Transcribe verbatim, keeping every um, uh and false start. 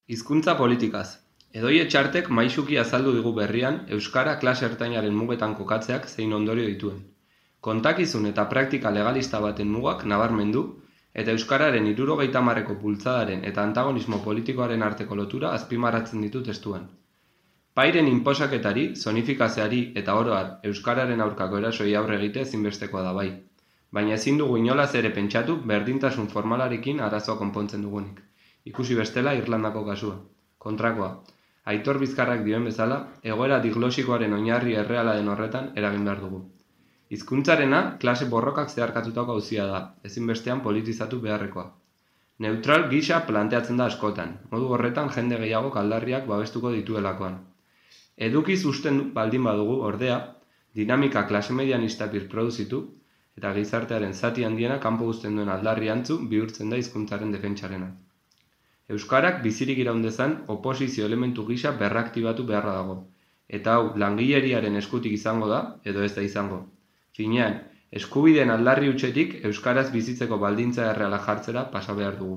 Hizkuntza politikaz. Edoi Etxartek maisuki azaldu digu berrian euskara klase ertainaren mugetan kokatzeak zein ondorio dituen. Kontakizun eta praktika legalista baten mugak nabarmendu eta euskararen hirurogeita hamarreko bultzadaren eta antagonismo politikoaren arteko lotura azpimarratzen ditu testuan. Pairen inposaketari, zonifikazioari eta oro har euskararen aurkako erasoi aurre egite ezinbestekoa da bai. Baina ezin dugu inolaz ere pentsatu berdintasun formalarekin arazoa konpontzen dugunik. Ikusi bestela Irlandako kasua. Kontrakoa, Aitor Bizkarrak dioen bezala, egoera diglosikoaren oinarri erreala den horretan eragin behar dugu. Hizkuntzarena klase borrokak zeharkatutako auzia da, ezinbestean politizatu beharrekoa. Neutral gisa planteatzen da askotan, modu horretan jende gehiago aldarriak babestuko dituelakoan. Edukiz usten baldin badugu, ordea, dinamika klase medianista birproduzitu eta gizartearen zati handiena kanpo uzten duen aldarri antzu bihurtzen da hizkuntzaren defentsarena. Euskarak bizirik iraun dezan oposizio elementu gisa berraktibatu beharra dago, eta hau langileriaren eskutik izango da edo ez da izango. Finean, eskubideen aldarri hutsetik euskaraz bizitzeko baldintza erreala jartzera pasa behar dugu.